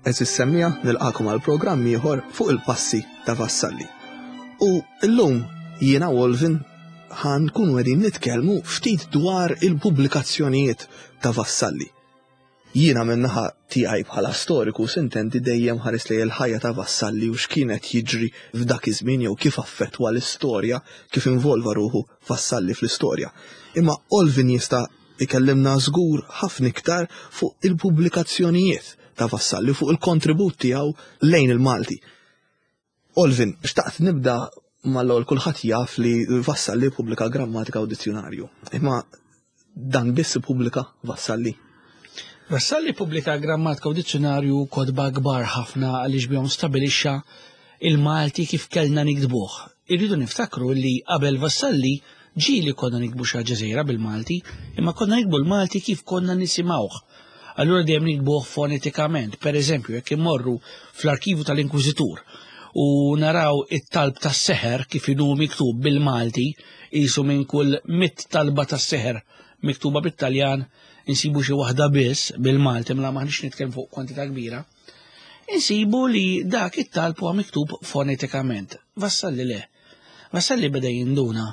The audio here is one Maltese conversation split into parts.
Eżis semmija nilqakom għal programm ieħor fuq il-passi ta' Vassalli. U llum jiena Wolvin ħan nkunu qegħdin nitkellmu ftit dwar il-pubblikazzjonijiet ta' Vassalli. Jiena min-naħa tiegħi bħala storiku sintendi dejjem ħares lejn il-ħajja ta' Vassalli u x'kien qed jiġri f'dak iż-żmien jew kif affettwa l-istorja, kif involva ruħu Vassalli fl-istorja. Imma Olvin jista' jkellimna żgur ħafna iktar fuq il-pubblikazzjonijiet ta' Vassalli u fuq il-kontribut tiegħu lejn il-Malti. Olvin, xtaqt nibda mal-ewwel kulħadd jaf li Vassalli ppubblika grammatika u dizzjunarju. Imma dan biss ippubblika Vassalli? Vassalli ppubblika grammatika u dizzjunarju kotba kbar ħafna għaliex bihom stabilixxa il-Malti kif kellna niktbuh. Irridu niftakru li qabel Vassalli ġieli konna niktbu xi ħaġa żgħira bil-Malti, imma konna niktbu l-Malti kif konna nisimgħuh. Allura dejjem nikbuh fonetikament. Per eżempju, jekk immorru fl-arkivu tal-Inkwiżitur u naraw it-talb tas-seħer kif inhu miktub bil-Malti, qisu minn kull mit talba tas-seħer miktuba bit-Taljan insibu xi waħda biss bil-Malti, mela maħniex nitkellmu fuq kwantità kbira. Insibu li dak it-talb huwa miktub fonetikament. Vassalli le. Vassalli beda jinduna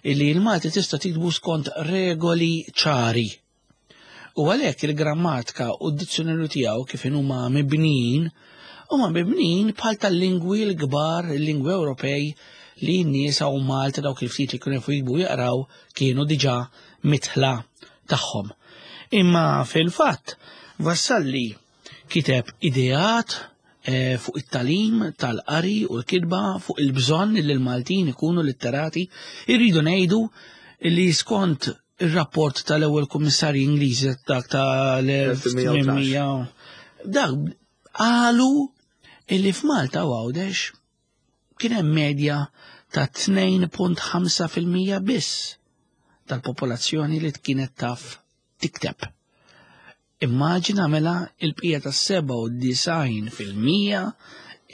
illi l-Malti tista' tiktbu skont regoli ċari. U għalhekk il-grammatika u d-dizzjonarju tiegħu kif huma mibnijin, huma mibnijin bħal tal-lingwi l-kbar, il-lingwi Ewropej li n-nies hawn Malta dawk il-ftit li kienu jafu jiktbu jaqraw kienu diġà mitħla tagħhom. Imma fil-fatt Vassalli kiteb ideat eh, fuq it-talim tal-qari u l-kitba fuq il-bżonn li l-Maltin ikunu litterati, irridu ngħidu li skont Ir-rapport tal-ewwel kummissarji Ingliżi dak tal-1800 dak qalu illi f'Malta u Għawdex kien hemm medja ta' 2.5% biss tal-popolazzjoni li kienet taf tikteb. Immaġina mela il-bqija ta' 97%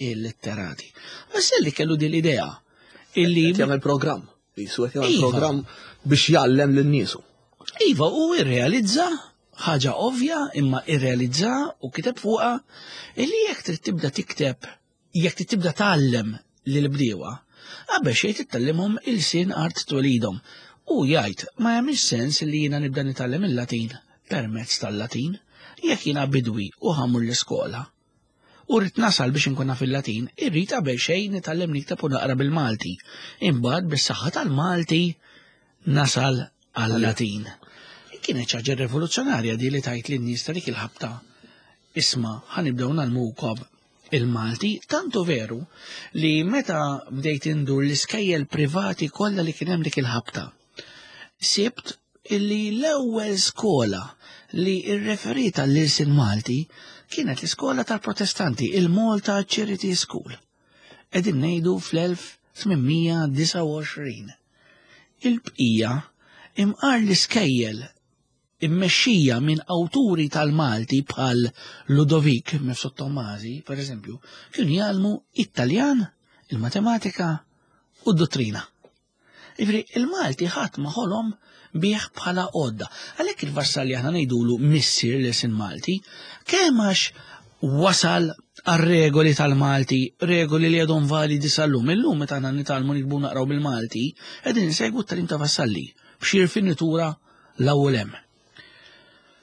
illitterati. Vassalli kellu din l-idea illi jagħmel programm, jisu qed jagħmel iva. programm biex jgħallem lin-niesu. Iva, u irrealizza ħaġa ovvja imma irrealizza u kiteb fuqha illi jekk trid tibda tikteb Jekk trid tibda tgħallem lill-bdiewa, qabel xejn trid tgħallimhom ilsien art twelidhom. Hu jgħid, ma jagħmilx sens li jiena nibda nitgħallem il-Latin permezz tal-Latin. Jekk jiena bidwi u ħa mmur l-iskola u rrid nasal biex inkun naf il-Latin, irrid qabel xejn nitgħallem nikteb u naqra bil-Malti. Imbagħad bis-saħħa tal-Malti nasal għal-Latin. Kienet xi ħaġa rivoluzzjonarja di li tgħid lin-nies ta' dik il-ħabta isma' ħa nibdew ngħallmukom il-Malti, tantu veru li meta bdejt indur l-iskejjel privati kollha li kien hemm dik il-ħabta. Sibt illi l-ewwel skola li rreferiet għall-ilsien Malti kienet l-iskola tal-Protestanti, il-Malta Charity School. Qegħdin ngħidu fl-1829. Il-bqija imqar l-iskejjel immexxija minn awturi tal-Malti bħal Ludovik Mifsud Tommasi, per eżempju, kienu jgħallmu it-Taljan, il-matematika u d-dottrina. Ivri, il-Malti ħadd ma ħolom bih bħala għodda. Għalhekk il-Vassalli aħna ngħidulu missier l-isin Malti, kemm għax wasal għar-regoli tal-Malti, regoli li għadhom validi sal-lum. Illum meta aħna nitgħallmu nikbu naqraw bil-Malti, qegħdin insegwu t-tagħlim ta' Vassalli b'xi rfinitura l-ewwel hemm.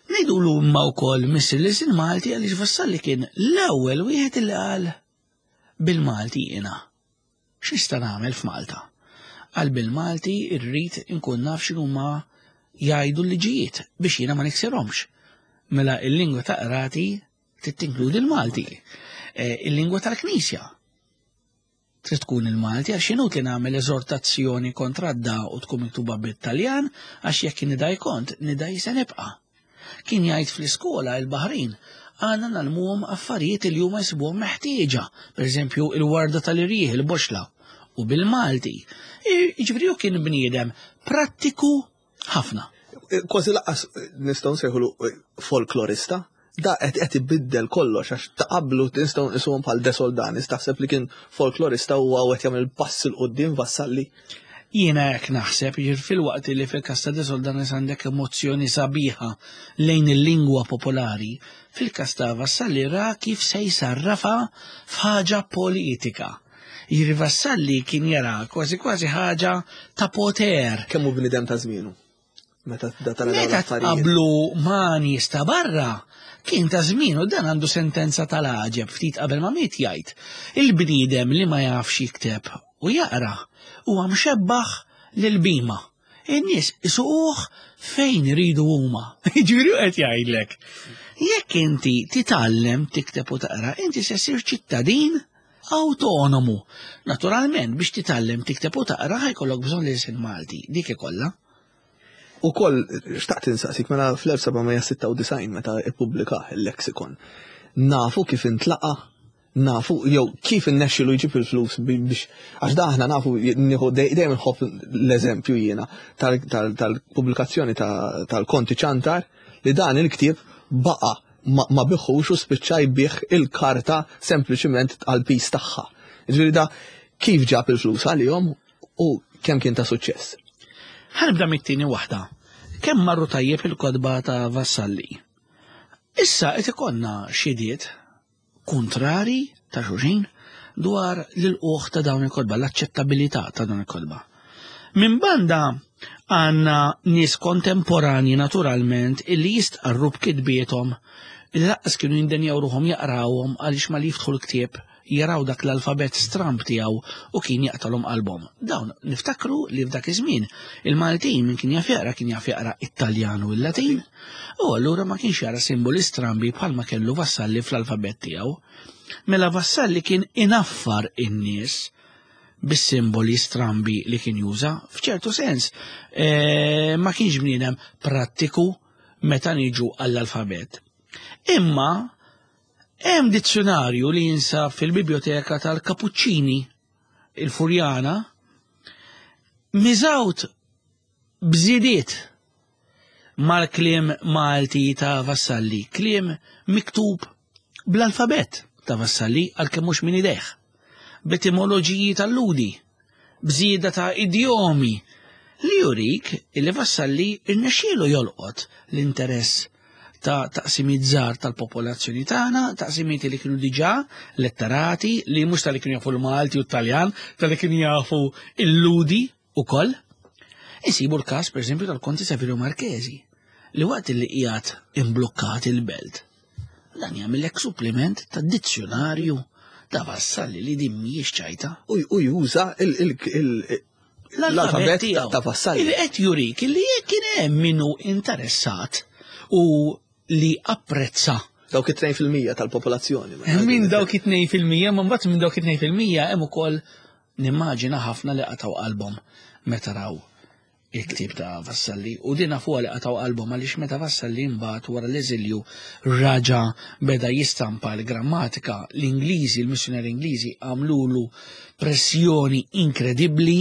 Ngħidulu imma wkoll missier l-ilsien Malti għaliex Vassalli kien l-ewwel wieħed li qal bil-Malti jiena. X'nista' nagħmel f'Malta? Qal bil-Malti rrid inkun naf x'inhuma jgħidu l-liġijiet biex jiena ma niksirhomx. Mela il-lingwa ta' qrati trid tinkludi l-Malti. Eh, il-lingwa tal-Knisja Trid tkun il-Malti għax inutli nagħmel eżortazzjoni kontra d-da u tkun miktuba bit-Taljan għax jekk nidaj kont, nidaj se nibqa'. Kien jgħid fl-iskola il-Baħrin għandna nagħlmuhom affarijiet li huma jsibuhom meħtieġa, pereżempju il-warda tal-irjieħ, il-boxla, u bil-Malti. Jiġifieri hu kien bniedem prattiku ħafna. Kważi laqqas nistgħu nsejħulu eh, folklorista, da qed qed ibiddel kollox għax ta' qablu nistgħu nqisuhom bħal De Soldanis taħseb li kien folklorista u qed jagħmel pass il qudiem Vassalli. Jiena hekk naħseb, jiġifieri filwaqt li fil-każ ta' De Soldanis għandek emozzjoni sabiħa lejn il-lingwa popolari, fil-każ ta' Vassalli ra kif se jsarrafha f'ħaġa politika. Jiġifieri Vassalli kien jara kważi kważi ħaġa ta' poter. Kemm hu bniedem ta' żmienu? Meta tibda tara dawn Meta l-affarijiet. tqablu ma' nies ta' barra, kien ta' żmienu dan għandu sentenza tal-għaġeb ftit qabel ma miet jgħid, il-bniedem li ma jafx jikteb u jaqra huwa mxebbaħ lil bhima. In-nies isuquh fejn iridu huma. Jiġifieri hu qed jgħidlek, jekk inti titgħallem tikteb u taqra, inti se ssir ċittadin awtonomu. Naturalment, biex titgħallem tikteb u taqra ħa jkollok bżonn l-ilsien Malti, dik ikollha. Ukoll xtaqt insaqsik mela fl-1796 meta ippubblikah il-lexicon, nafu kif intlaqa', nafu jew kif innexxilu jġib il-flus biex għax da aħna nafu nieħu dejjem inħobb l-eżempju jiena tal-pubblikazzjoni tal-Konti Ċantar li dan il-ktieb baqa' ma biħux u spiċċa jbigħ il-karta sempliċiment għall-piż tagħha. Jiġifieri da kif ġab il-flus għalihom u kemm kien ta' suċċess? Ħa nibda mit-tieni waħda. Kemm marru tajjeb il-kotba ta' Vassalli? Issa qed ikollna xhidiet kuntrari ta' xulxin dwar l-ilqugħ ta' dawn il-kotba, l-aċċettabilità ta' dawn il-kotba. Minn banda għandna nies kontemporanji naturalment illi jistqarru b'kitbiethom li lanqas kienu jindenjaw ruħhom jaqrawhom għaliex malli jiftħu l-ktieb jaraw dak l-alfabett stramb tiegħu u kien jaqtalhom qalbhom. Dawn niftakru li f'dak iż-żmien il-Maltin min kien jaf jaqra kien jaf jaqra it-Taljan u l-Latin u allura ma kienx jara simboli strambi bħalma kellu Vassalli fl-alfabett tiegħu. Mela Vassalli kien inaffar in-nies bis-simboli strambi li kien juża, f'ċertu sens eh, ma kienx bniedem prattiku meta niġu għall-alfabett. Imma Hemm dizzjunarju li jinsab fil-Bibljoteka tal-Kapuċċini, il-Furjana, miżgħud b'żidiet mal-kliem Malti ta' Vassalli, kliem miktub bl-alfabett ta' Vassalli għalkemm mhux minn idejh, b'etimoloġiji tal-Lhudi, b'żieda ta' idjomi li jurik illi Vassalli rnexxielu jolqot l-interess ta' taqsimiet żgħar tal-popolazzjoni tagħna, taqsimiet li kienu diġà letterati, li mhux tal-li kienu jafu l-Malti u t-Taljan, tal-li kienu jafu l-Lhudi ukoll. Insibu l-każ, pereżempju, tal-Konti Saverio Marchesi, li waqt li qiegħed imblukkat il-belt, Dan jagħmillek suppliment ta' dizzjunarju ta' Vassalli li din mhijiex ċajta. U juża l-alfabet ta' Vassalli. Li qed jurik li jekk kien hemm min hu interessat u li apprezza Dawk it-2% tal-popolazzjoni. Minn dawk it-2%, ma mbagħad minn dawk it-2% hemm ukoll nimmaġina ħafna li qatgħu qalbhom meta raw il-ktieb ta' Vassalli u din nafuha li qatgħu qalbhom għaliex meta Vassalli mbagħad wara l-eżilju raġa' beda jistampa l-grammatika l-Ingliżi, l-missjunari Ingliżi għamlulu pressjoni inkredibbli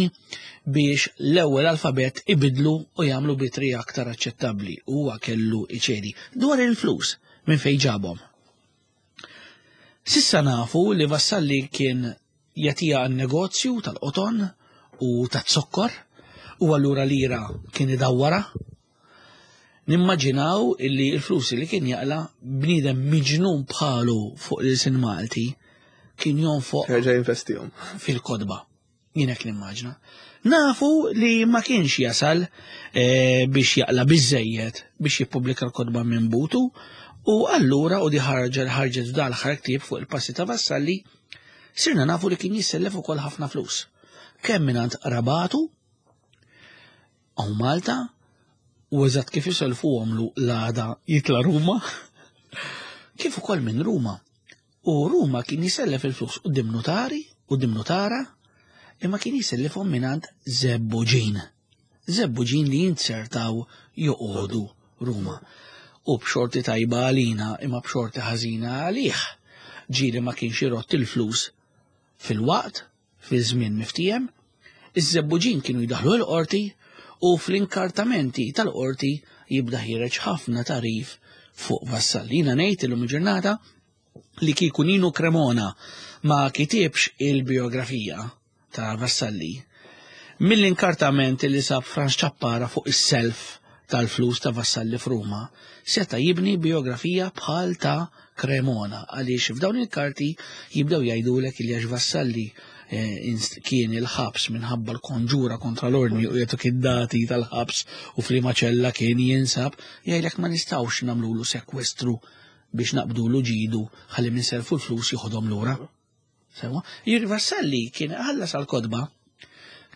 biex l-ewwel alfabett ibidlu u jagħmlu bitri aktar aċċettabbli. Huwa kellu iċedi dwar il-flus minn fejn ġabhom. Sissa nafu li Vassalli kien jagħtiha għan-negozju tal-qoton u taz-zokkor u allura lira kien idawwarha. Nimmaġinaw illi l-flus li kien jaqla bniedem miġnun bħalu fuq l-ilsien Malti kien jonfoq Jerġa' jinvestihom. fil-kotba. Jien hekk nimmaġna. Nafu li ma kienx jasal eh, biex jaqla biżejjed biex jippubblika l-kotba minn butu u allura u di ħarġet ħarġet f'dal ħar ktieb fuq il-passi ta' Vassalli sirna nafu li kien jissellef ukoll ħafna flus. Kemm mingħand qrabatu hawn Malta u eżatt kif iselfuhomlu l-għada jitla' Ruma, kif ukoll minn Ruma. U Ruma kien jisellef il-flus quddiem nutari, quddiem nutara, imma kien jisellifhom mingħand żebbuġin. Żebbuġin li jinzertaw joqogħdu Ruma. U b'xorti tajba għalina imma b'xorti ħażina għalih, ġieli ma kienx irott il-flus fil-waqt, fiż-żmien miftiehem, iż-żebbuġin kienu jdaħħlu l-qorti u fl-inkartamenti tal-qorti jibda ħiereġ ħafna tagħrif fuq Vassalli. Jiena ngħid illum il-ġurnata li kieku Nino Cremona ma kitibx il-bijografija ta' Vassalli, Mill-inkartament li sab Franz Ciappara fuq is-self tal-flus ta' Vassalli f'Ruma, seta' jibni bijografija bħal ta' Cremona għaliex f'dawn il-karti jibdew jgħidulek li għax Vassalli eh, kien il-ħabs minħabba l-konġura kontra l-ordni u jagħtuk id-dati tal-ħabs u f'liema ċella kien jinsab, jgħidlek ma nistgħux nagħmlulu sekwestru biex naqbdulu ġidu ħalli minn selfu l-flus joħodhom lura. Sewa, Juri Vassalli kien ħallas għal kodba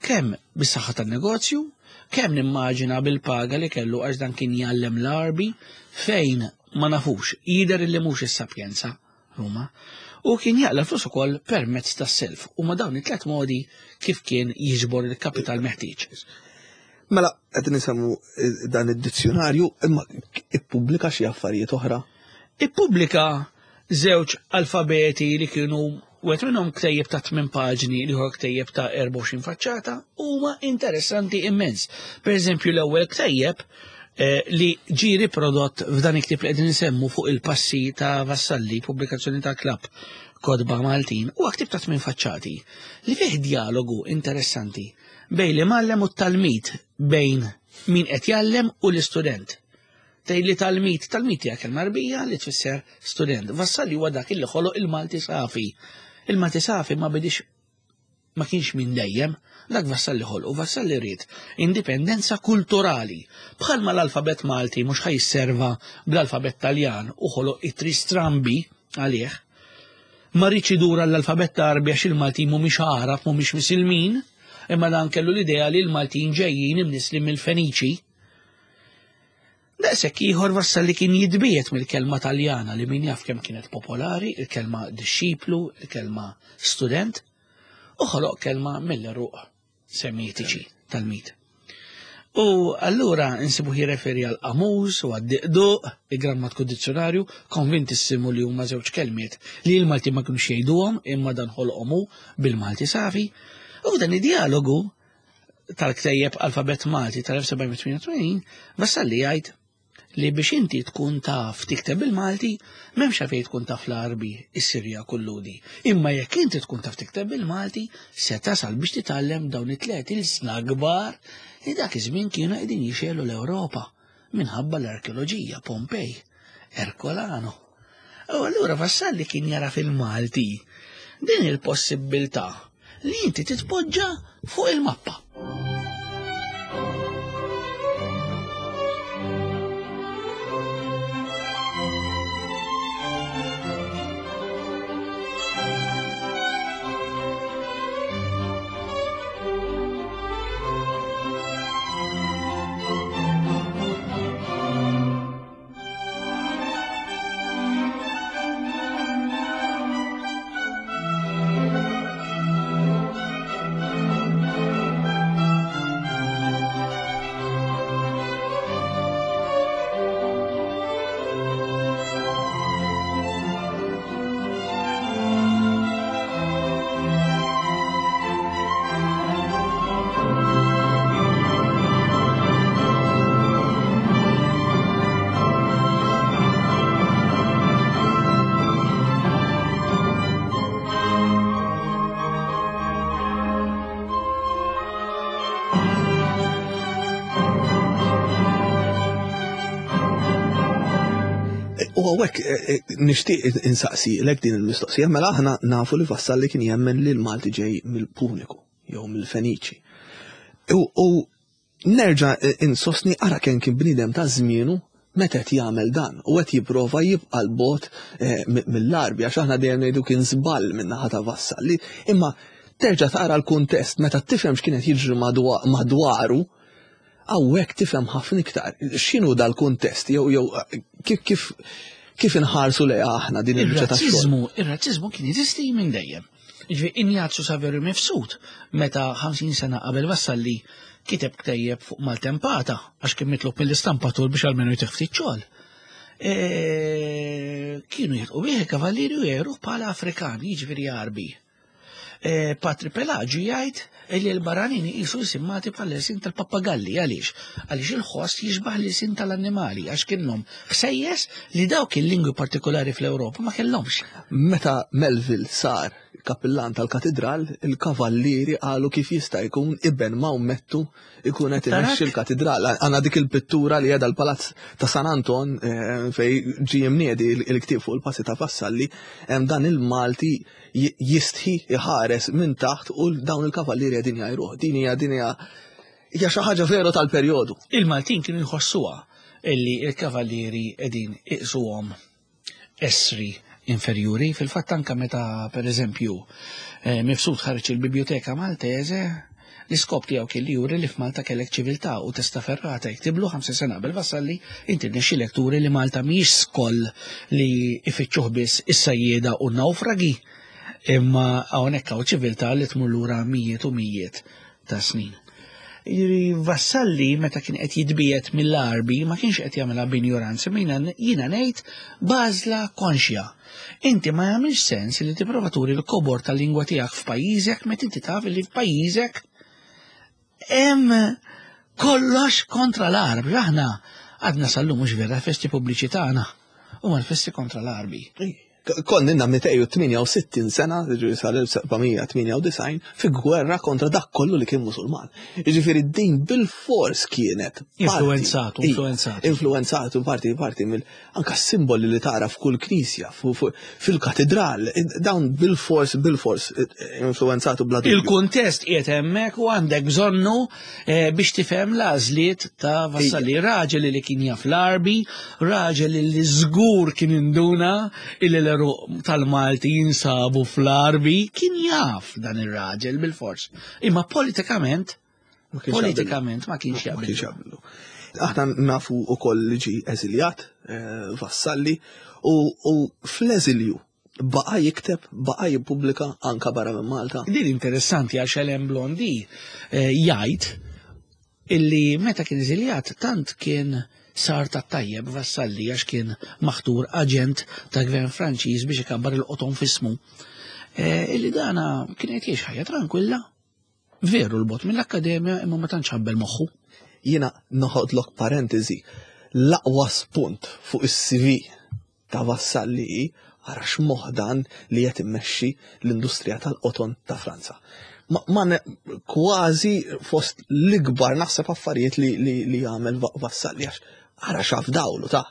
kemm bis-saħħa tan-negozju, kemm nimmaġina bil-paga li kellu għax dan kien jgħallem l-Arbi fejn ma nafux, jidher li mhux is-Sapjenza Ruma, u kien jaqla flus ukoll permezz tas-self u ma dawn it-tlet modi kif kien jiġbor il-kapital meħtieġ. Mela, qed nisemmu eh, dan id-dizzjonarju, imma ippubblika xi affarijiet oħra? Ippubblika żewġ alfabeti li kienu wieħed minnhom ktejjeb ta' 8 paġni, l-ieħor ktejjeb ta' 24 faċċata, huma interessanti immens. Per eżempju, l-ewwel ktejjeb eh, li ġie riprodott f'dan il-ktieb li qegħdin insemmu fuq il-passi ta' Vassalli, pubblikazzjoni ta' Klabb Kotba Maltin, huwa ktieb ta' 8 faċċati li fih dialogu interessanti bejn l-imgħallem u t-talmid, bejn min qed jgħallem u l-istudent. Tgħid li talmid, talmid hija kelma Għarbija li tfisser student. Vassalli huwa dak li ħoloq il-Malti safi. Il-Malti safi ma bidix ma kienx minn dejjem, dak Vassalli ħolqu, Vassalli ried indipendenza kulturali. Bħalma l-alfabet Malti mhux ħa jisserva bl-alfabet Taljan u ħoloq ittri strambi għalih. Ma riedx idur għall-alfabet Għarbi għax il-Maltin mhumiex Għarab, mhumiex Misilmin, imma dan kellu l-idea li l-Maltin ġejjin imnisslin mill-Feniċi. Daqshekk ieħor Vassalli kien jitbiegħed mill-kelma Taljana li min jaf kemm kienet popolari, il-kelma dixxiplu, il-kelma student, u ħoloq kelma mill-għeruq semitiċi tal-mit. U allura insibu jirreferi għal qamus u għad-diqduq, il-grammatku dizzjonarju, konvintissimu li huma żewġ kelmiet li l-Malti ma kienux jgħiduhom imma dan ħolqhom hu bil-Malti safi. U dan id-dialogu tal-ktejjeb Alfabet Malti tal-1788, Vassalli jgħid li biex inti tkun taf tikteb bil-Malti, m'hemmx għalfejn tkun taf l-Għarbi, is-Sirjak u l-Lhudi. Imma jekk inti tkun taf tikteb bil-Malti, se tasal biex titgħallem dawn it-tliet ilsna kbar li dak iż-żmien kienu qegħdin jixegħlu l-Ewropa minħabba l-arkeoloġija, Pompej, Erkolano. U allura Vassalli kien jara fil-Malti din il-possibbiltà li inti titpoġġa fuq il-mappa. U għawek, eh, eh, nishtiq insaqsi l din il-mistoqsija, mela aħna nafu li Vassalli kien jemmen li l-Malti ġej mill-Puniku, jew mill-Feniċi. U Nerġa' insostni ara kemm kien bniedem ta' żmienu meta qed jagħmel dan u qed jipprova jibqa' 'l bogħod eh, mill-Għarbi għax aħna dejjem ngħidu kien żball min-naħa ta' Vassalli, imma terġa' tara l-kuntest meta tifhem x'kien qed jiġri madwaru, hawnhekk tifhem ħafna iktar x'inhu dal-kuntest jew jew kif kif kif inħarsu lejha aħna din il-biċċa ta' xogħol. Ir-razziżmu kien jeżisti minn dejjem. Jiġifieri Injazju Saverio Mifsud meta 50 sena qabel Vassalli kiteb ktejjeb fuq maltempata għax kien mitlub mill-istampatur biex almenu jtih ftit xogħol. E, kienu jilqu bih il-kavallieri u jgħiruh bħala Afrikan, jiġifieri Għarbi. E, Patri Pelagio jgħid Illi l-barranin iqisu l-ilsien Malti bħala l-ilsien tal-pappagalli. Għaliex? Għaliex il-ħoss jixbah l-ilsien tal-annimali, għax kienhom ħsejjes li dawk il-lingwi partikolari fl-Ewropa ma kellhomx. Meta Melville sar kapillan tal-katidral, il-kavallieri qalu kif jista' jkun iben Mawmettu ikun qed imexxi l-katidral. Għandna dik il-pittura li qiegħda l-Palazz ta' San Anton eh, fej ġie mniedi il-ktieb fuq il-passi ta' Vassalli, hemm dan il-Malti jistħi jħares minn taħt u dawn il-kavallieri qegħdin jgħajruh. Din hija din hija hija xi ħaġa veru tal-perjodu. Il-Maltin kienu jħossuha illi il-kavallieri qegħdin iqsuhom essri inferjuri. Fil-fatt anka meta pereżempju eh, Mifsud ħareġ il-Biblioteka Maltese, L-iskop tiegħu kien li juri li f'Malta kellek ċiviltà u Testaferrata jiktiblu 50 sena qabel Vassalli, inti rnexxielek turi li Malta mhijiex skoll li ifittxuh biss is-sajjieda u n-nawfragi, imma hawnhekk hawn ċiviltà li tmur lura mijiet u mijiet ta' snin. Jiġifieri Vassalli meta kien qed jitbiegħed mill-Għarbi ma kienx qed jagħmilha b'injoranza, imma jiena ngħid b'għażla konxja. Inti ma jagħmilx sens li tipprova turi l-kobor tal-lingwa tiegħek f'pajjiżek meta inti taf li f'pajjiżek hemm kollox kontra l-Għarbi. Aħna għadna sal-lum mhux vera festi pubbliċi tagħna huma l-festi kontra l-Għarbi. Konna inna 268 sena, ġifieri sal-1798, fi gwerra kontra dak kollu li kien musulman. Jiġifieri din bil-fors kienet. Influenzatu, influenzatu. Influenzatu parti parti mill anka simboli li tara f'kull knisja, fil-katedral, dawn bil-fors, bil-fors influenzatu bla Il-kuntest qiegħed hemmhekk u għandek bżonnu eh, biex tifhem l-għażliet ta' Vassalli. Raġel li kien jaf l-Arbi, raġel li żgur kien induna illi l-eruq tal-Malti jinsabu fl-Arbi, kien jaf dan ir-raġel bil-fors. Imma politikament, politikament ma kienx jaqbillu. Aħna nafu ukoll li ġie eżiljat eh, Vassalli u fl-eżilju baqa jikteb, baqa jippubblika anka barra minn Malta. Din interessanti għax Alain Blondy eh, jgħid illi meta kien eżiljat tant kien sar ta' tajjeb Vassalli għax kien maħtur aġent ta' gvern Franċiż biex ikabbar il-qoton fismu. Eh, illi dana kien qed jgħix ħajja tranquilla Veru l-bot mill-akkademja imma ma tantx ħabbel moħħu. Jiena noħodlok parentesi, l-aqwa spunt fuq is-CV ta' Vassalli hi ara x'moħħ dan li qed immexxi l-industrija tal-qoton ta' Franza. Ma, ma kważi fost l-ikbar naħseb affarijiet li, li, li jagħmel Vassalli għax ara x'afdawlu ta'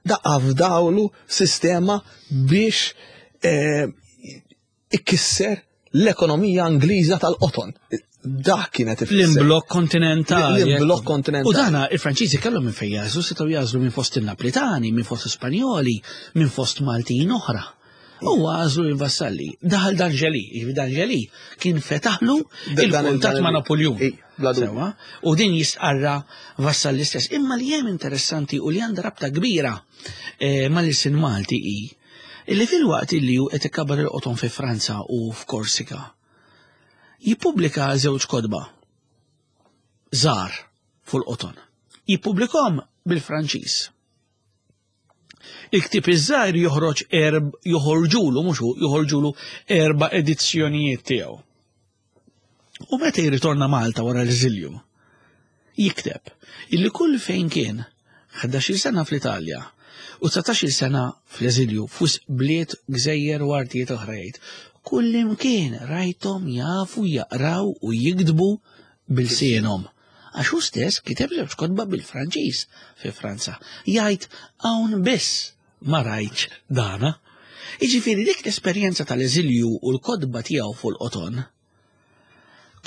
da afdawlu sistema biex eh, ikisser l-ekonomija Ingliża tal-qoton. Dak kienet ifisser. L-imblokk kontinentali. L-imblokk kontinentali. U dana il-Franċiżi kellhom minn fejn jażlu, setgħu jażlu minn fost il-Naplitani, minn fost Spanjoli, minn fost Maltin oħra. U għażlu il-Vassalli. Daħal D'Angeli, jiġifieri D'Angeli kien fetaħlu il-kuntatt ma' Napoljun. Sewa, u din jistqarra Vassalli stess. Imma li hemm interessanti u li għandha rabta kbira eh, mal-ilsien Malti hi Illi filwaqt illi hu qed ikabbar il-qoton fi Franza u f'Korsika, jippubblika żewġ kotba żgħar fuq il-qoton. Jippubblikhom bil-Franċiż. Il-ktieb iż-żgħir joħroġ erb joħorġulu mhux hu, joħorġulu erba' edizzjonijiet tiegħu. U meta jirritorna Malta wara l-eżilju, jikteb illi kull fejn kien 11-il sena fl-Italja u 19-il sena fl-eżilju f'wisq bliet, gżejjer u artijiet oħra jgħid, kullimkien rajthom jafu jaqraw u jiktbu bilsienhom. Għax hu stess kiteb żewġ kotba bil-Franċiż fi Franza. Jgħid hawn biss ma rajtx dana. Jiġifieri dik l-esperjenza tal-eżilju u l-kotba tiegħu fuq il-qoton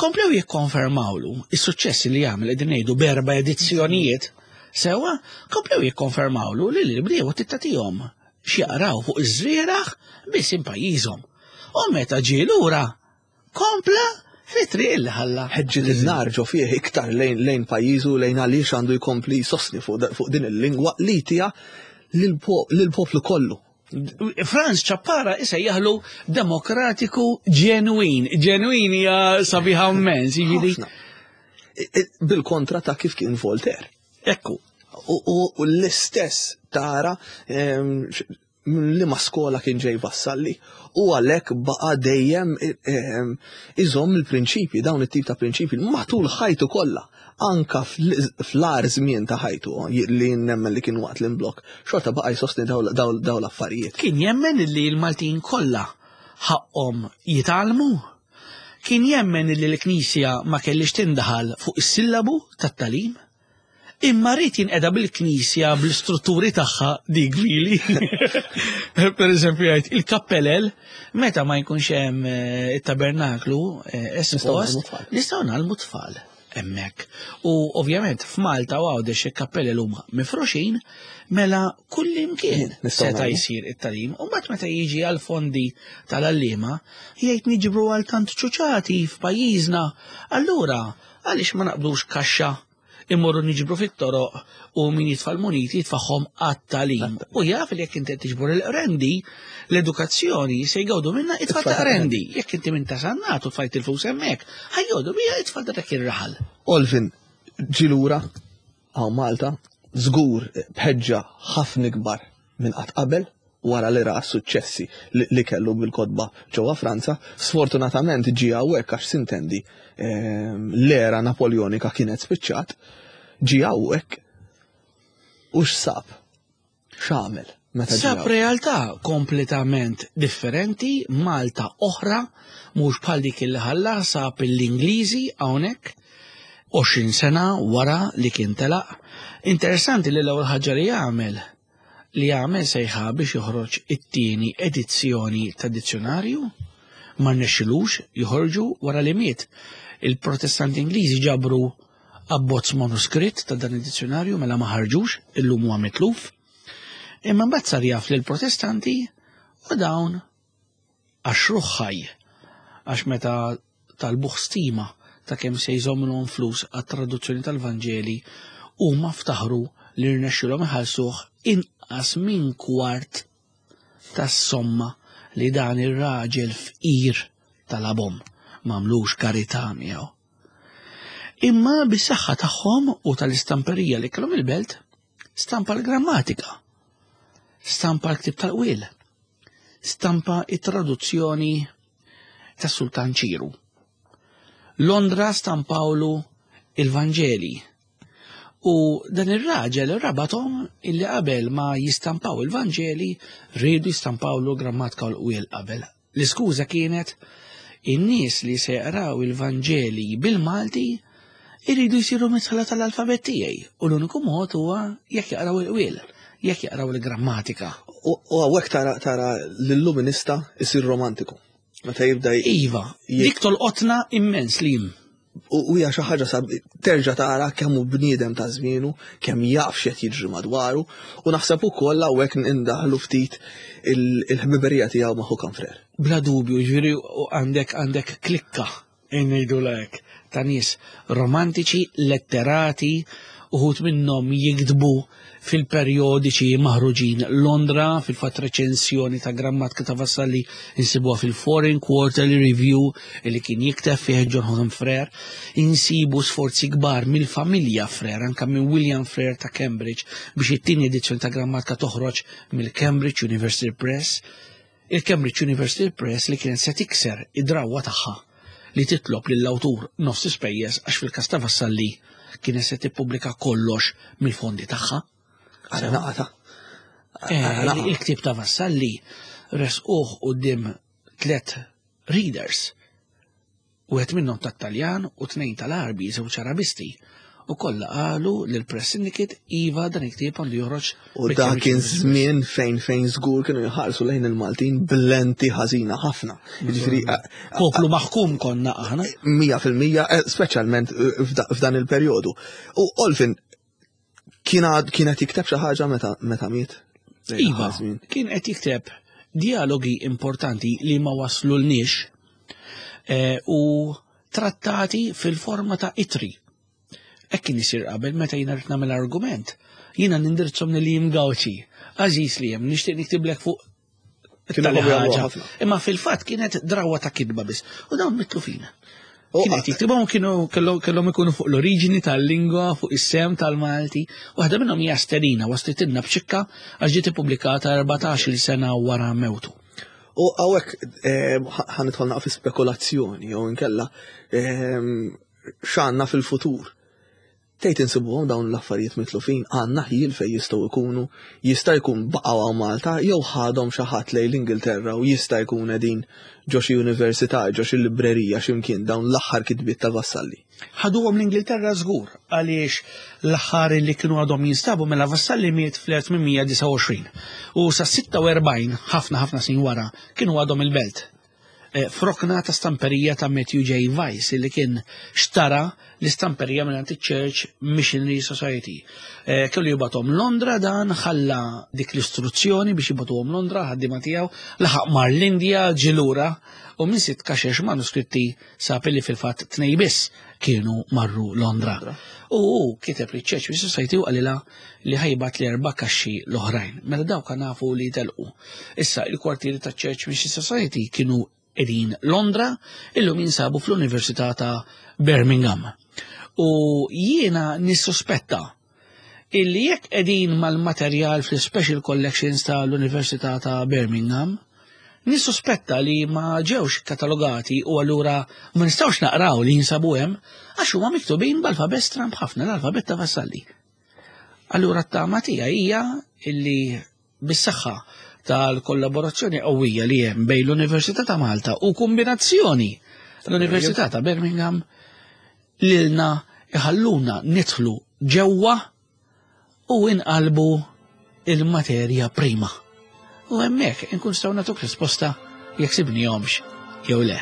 komplew jikkonfermawlu is-suċċess li għamel qegħdin ngħidu b'erba' edizzjonijiet sewwa, komplew jikkonfermawlu li l-bdiewa tittatihom x'jaqraw fuq iż-żrieragħ biss pajjiżhom. U meta ġie lura kompla fit-triq li ħalla. Ħeġġet in-nar ġo fih iktar lejn lejn pajjiżu lejn għaliex għandu jkompli jsostni fuq fuq din il-lingwa li tija lill-poplu kollu. Franz Ciappara isejjaħlu demokratiku ġenwin. Ġenwin hija sabiħa immens, jiġifieri. Bil-kontra ta' kif kien Voltaire. Ekku. U l-istess tara ehm, minn liema skola kien ġej Vassalli u għalhekk baqa' dejjem ehm, iżomm il-prinċipji, dawn it-tip ta' prinċipji matul ħajtu kollha, anka fl-agħar żmien ta' ħajtu li nemmen li kien waqt l-imblokk, xorta baqa' jsostni dawn l-affarijiet. Kien jemmen li l-Maltin kollha ħaqqhom jitgħallmu, kien jemmen li l-Knisja ma kellhiex tindaħal fuq is-sillabu tat-tagħlim. Imma rrid jinqeda bil-knisja bl-istrutturi tagħha dik vili. Per eżempju jgħid il-kappelel meta ma jkunx hemm eh, it-tabernaklu eh, espost nistgħu nagħlmu tfal hemmhekk. U ovvjament f'Malta u Għawdex il-kappelel huma mifruxin mela kull imkien seta' jsir it-talim. U mbagħad meta jiġi għal fondi tal-għalliema jgħid niġbru għal tant ċuċati f'pajjiżna. Allura għaliex ma naqbdux kaxxa immorru niġbru fit-toroq u min jitfa' l-muniti jitfagħhom għat-tagħlim. U jaf li jekk inti qed tiġbor il-qrendi, l-edukazzjoni se jgawdu minna it-tfal ta' qrendi. Jekk inti minn ta' sannat u tfajt il-flus hemmhekk, ħajgawdu bija it-tfal ta' dak ir-raħal. Olvin, ġie lura hawn Malta, żgur b'ħeġġa ħafna ikbar minn qatt qabel wara li ra s-suċċessi li kellu bil-kotba ġewwa Franza, sfortunatament ġie hawnhekk għax sintendi ehm, l-era Napoljonika kienet spiċċat, ġie hawnhekk u x'sab? X'għamel? Meta Sab realtà kompletament differenti, Malta oħra, mhux bħal dik li ħalla sab l-Ingliżi hawnhekk 20 sena wara li kien telaq. Interessanti li l-ewwel ħaġa li għamel li għamel sejħa biex joħroġ it-tieni edizzjoni ta' dizzjonarju, ma rnexxilux joħorġu wara li miet. Il-Protestanti Ingliżi ġabru abbozz manuskritt ta' dan id-dizzjonarju mela ma ħarġux, illum huwa mitluf. Imma mbagħad sar jaf lill-Protestanti u dawn għaxruh ħaj għax meta talbuh stima ta' kemm se jżommilhom flus għat-traduzzjoni tal-Vanġeli huma ftaħru li rnexxilhom iħallsuh inqas minn kwart tas-somma li dan ir-raġel fqir talabhom. M'għamlux karità miegħu. Imma bis-saħħa tagħhom u tal-istamperija li kellhom il-belt, stampa l-grammatika, stampa l-ktib tal-qwiel, stampa it-traduzzjoni tas-Sultan Ċiru. Londra stampawlu il-Vanġeli. U dan ir-raġel rabathom illi qabel ma jistampaw il-Vanġeli rridu jistampawlu grammatika u l-qwiel qabel. L-iskuża kienet in-nies li se jaqraw il-Vanġeli bil-Malti iridu jsiru mitħla tal-alfabet tiegħi u l-uniku mod huwa jekk jaqraw il-qwiel, jekk jaqraw il-grammatika. U hawnhekk tara tara l-illuminista jsir romantiku. Meta jibda Iva, dik tolqotna immens li jim. U hija xi ħaġa sab terġa' tara kemm hu bniedem ta' żmienu, kemm jaf x'qed jiġri madwaru, u naħseb ukoll hawnhekk indaħlu ftit il-ħbiberija tiegħu ma' Håkan Frère. Bla dubju, ġifieri għandek għandek klikka ngħidulha hekk, ta' nies romantiċi, letterati, uħud minnhom jiktbu fil-perjodiċi maħruġin Londra, fil-fatt reċensjoni ta' grammatika ta' Vassalli insibuha fil-Foreign Quarterly Review li kien jikteb fih John Houghton Frere, insibu sforzi kbar mill-familja Frere, anka minn William Frere ta' Cambridge biex it-tieni edizzjoni ta' grammatika toħroġ mill-Cambridge University Press. Il-Cambridge University Press li kienet se tikser id-drawwa tagħha li titlob lill-awtur nofs ispejjeż għax fil-każ ta' Vassalli kienet se tippubblika kollox mill-fondi tagħha. Għara naqata. Eh, il-ktieb ta' Vassalli resquh quddiem tliet readers Wieħed minnhom tat-Taljan u tnejn tal-Għarbi, żewġ Arabisti, u kollha qalu lill-Press Syndicate iva dan il-ktieb għandu joħroġ. U dak kien żmien fejn fejn żgur kienu jħarsu lejn il-Maltin b'lenti ħażina ħafna. Jiġifieri poplu maħkum konna aħna. 100% eh, speċjalment eh, f'dan il-perjodu. U Olfin kien qed jikteb xi ħaġa meta meta miet? Iva, kien qed jikteb dialogi importanti li ma waslulniex eh, u trattati fil-forma ta' itri. Hekk kien isir qabel meta jiena rrid nagħmel argument. Jiena nindirizzhom li jim Gawċi. Għażiż li hemm nixtieq niktiblek fuq ħaġa. Imma fil-fatt kienet drawa ta' kidba biss. U dawn mitlufin. Kien qed jiktibhom kienu kellhom ikunu fuq l-oriġini tal-lingwa, fuq is-sem tal-Malti. Waħda minnhom hija Sterina, waslitilna b'ċikka għax ġiet ippubblikata 14-il sena wara mewtu. U hawnhekk eh, ħa nidħol fi spekulazzjoni jew inkella eh, x'għandna fil-futur. Tgħid insibuhom dawn l-affarijiet mitlufin, għandna ħjiel fejn jistgħu jkunu, jista' jkun baqgħu hawn Malta jew ħadhom xi ħadd lejn l-Ingilterra u jista' jkun qegħdin ġo xi università, ġo xi librerija xi mkien dawn l-aħħar kitbiet ta' Vassalli. Ħaduhom l-Ingilterra żgur għaliex l-aħħar li kienu għadhom jinstabu mela Vassalli miet fl-1829 u sa 46 ħafna ħafna snin wara kienu għadhom il-belt. Eh, f'rokna ta' stamperija ta' Matthew J. Weiss li kien xtara l-istamperija minn Church Missionary Society. Eh, kellu jibatom Londra dan ħalla dik l-istruzzjoni biex jibatuhom Londra ħaddiema tiegħu laħaq mar l-Indja ġilura u minn sitt kaxex manuskritti sab li fil-fatt tnej biss kienu marru Londra. U hu kiteb li Church Mission Society u qalilha li ħajbat li erba' kaxxi l-oħrajn. Mela dawk nafu li telqu. Issa il-kwartieri ta' Church Mission Society kienu qegħdin Londra, illum jinsabu fl-Università ta' Birmingham. U jiena nissuspetta illi jekk qegħdin mal-materjal fl-Special Collections tal-Università ta' Birmingham, nissuspetta li ma ġewx katalogati u allura ma nistgħux naqraw li jinsabu hemm għax huma miktubin b'alfabet stramb ħafna l-alfabet ta' Vassalli. Allura t-tama tiegħi hija illi bis-saħħa tal-kollaborazzjoni qawwija li hemm bejn l-Università ta' Malta u kombinazzjoni l-Università ta' Birmingham lilna iħalluna nidħlu ġewwa u inqalbu il-materja prima. U hemmhekk inkun nistgħu nagħtuk risposta jekk sibnihomx jew le.